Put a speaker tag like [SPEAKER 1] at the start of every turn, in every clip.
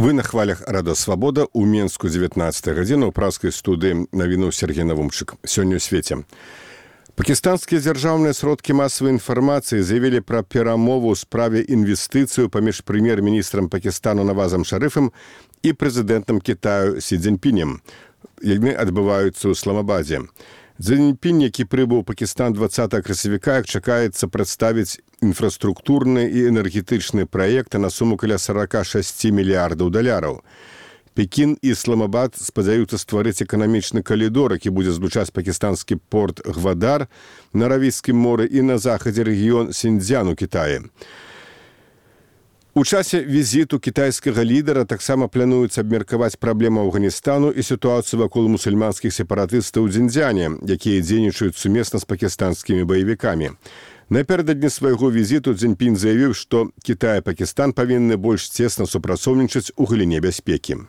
[SPEAKER 1] Вы на хвалях Рада Свабода у Менску 19 гадзіна ў праўскай студыі навіну Сергей Навумчык. Сёння ў свеце. Пакістанскія дзяржаўныя сродкі масавай інфармацыі заявілі пра перамову ў справе інвестыцыю паміж прэм'ер-міністрам Пакістану Навазам Шарыфам і прэзідэнтам Кітаю Сі Цзіньпінем. Яны адбываюцца ў Ісламабадзе. Цзіньпінь, які прыбыў у Пакістан 20 красавіка, чакаецца прадставіць інфраструктурны і энергетычны праекты на суму каля 46 мільярдаў даляраў. Пекін і Ісламабад спадзяюцца стварыць эканамічны калідор, які будзе злучаць пакістанскі порт Гвадар на Аравійскім моры і на захадзе рэгіён Сіньцзян у Кітаі. У часе візіту кітайскага лідара таксама плануецца абмеркаваць праблему Афганістану і сітуацыю вакол мусульманскіх сепаратыстаў у Дзіньцзяне, якія дзейнічаюць сумесна з пакістанскімі баевікамі. Напярэдадні свайго візіту Цзіньпінь заявіў, што Кітай і Пакістан павінны больш цесна супрацоўнічаць у галіне бяспекі.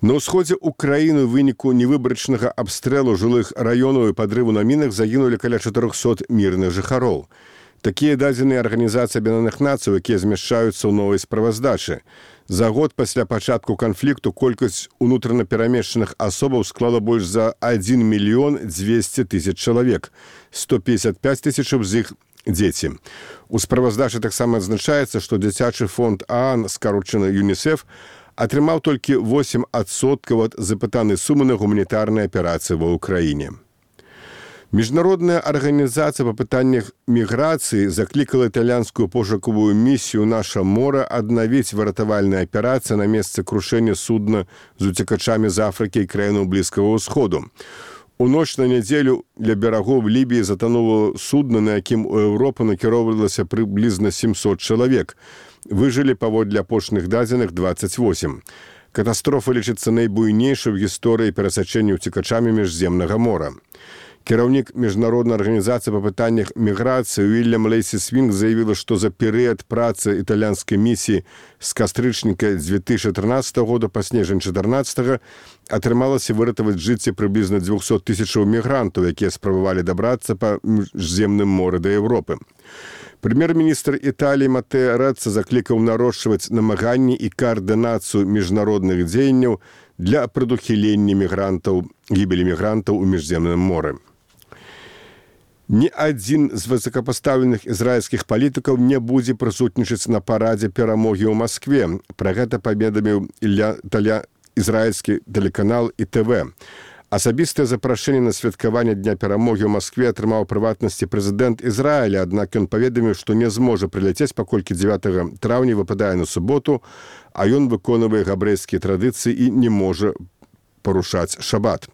[SPEAKER 1] На ўсходзе ўкраіны ў выніку невыбарачнага абстрэлу жылых раёнаў і падрыву на мінах загінулі каля 400 мірных жыхароў. Такія дадзеныя Арганізацыі Аб'яднаных Нацый, якія змяшчаюцца ў новай справаздачы. За год пасля пачатку канфлікту колькасць унутрана перамешчаных асобаў склала больш за 1 мільён 200 тысяч чалавек. 155 тысячаў з іх дзеці. У справаздачы таксама адзначаецца, што дзіцячы фонд ААН, скарочаны ЮНІСЕФ, атрымаў толькі 8% ад запытанай сумы на гуманітарныя аперацыі ва ўкраіне. Міжнародная арганізацыя па пытаннях міграцыі заклікала італьянскую пошукавую місію «Наша мора» аднавіць выратавальныя аперацыі на месцы крушэння судна з уцекачамі з Афрыкі і краінаў Блізкага ўсходу. У ноч на нядзелю ля берагоў Лібіі затануло судна, на якім у Еўропу накіроўвалася прыблізна 700 чалавек. Выжылі паводле апошніх дадзеных 28. Катастрофа лічыцца найбуйнейшай у гісторыі перасячэння уцекачамі міжземнага мора. Кіраўнік міжнароднай арганізацыі па пытаннях міграцыі Уільям Лейсі Свінг заявіла, што за перыяд працы італьянскай місіі з кастрычніка 2013 года па снежань 2014 атрымалася выратаваць жыцці прыблізна 200 тысячаў мігрантаў, якія спрабавалі дабрацца па міжземным моры да Еўропы. Прэм'ер-міністр Італіі Матэа Рэцца заклікаў нарошчваць намаганні і каардынацыю міжнародных дзеянняў для прадухілення гібелі мігрантаў у міжземным моры. Ні адзін з высокапастаўленых ізраільскіх палітыкаў не будзе прысутнічаць на парадзе перамогі ў Маскве. Пра гэта паведаміў ізраільскі тэлеканал ІТВ. Асабістае запрашэнне на святкаванне Дня перамогі ў Маскве атрымаў прыватнасці прэзідэнт Ізраіля, аднак ён паведаміў, што не зможа прыляцець, паколькі 9 траўня выпадае на суботу, а ён выконвае габрэйскія традыцыі і не можа парушаць шабат.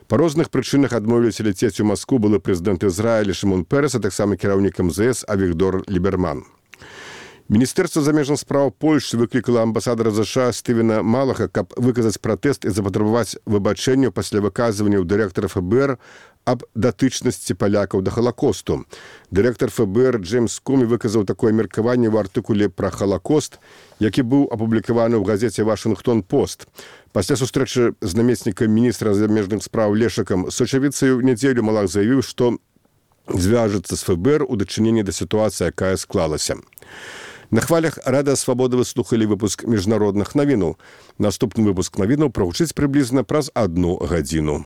[SPEAKER 1] Па розных прычынах адмовіліся ляцець у Маскву былы прэзідэнт Ізраіля Шымон Перес, а таксама кіраўнік МЗС Авігдор Ліберман. Міністэрства замежных спраў Польшчы выклікала амбасадара США Стывена Малаха, каб выказаць пратэст і запатрабаваць выбачэнняў пасля выказванняў дырэктара ФБР аб датычнасці палякаў да Халакосту. Дырэктар ФБР Джеймс Комі выказаў такое меркаванне ў артыкуле пра Халакост, які быў апублікаваны ў газеце «Вашынгтон-Пост». Пасля сустрэчы з намеснікам міністра замежных спраў Лешакам Сочавіцай у нядзелю Малах заявіў, што звяжацца з ФБР у дачыненні да сітуацыі, якая склалася. На хвалях Рада Свабода вы слухалі выпуск міжнародных навінаў. Наступны выпуск навінаў прагучыць прыблізна праз 1 гадзіну.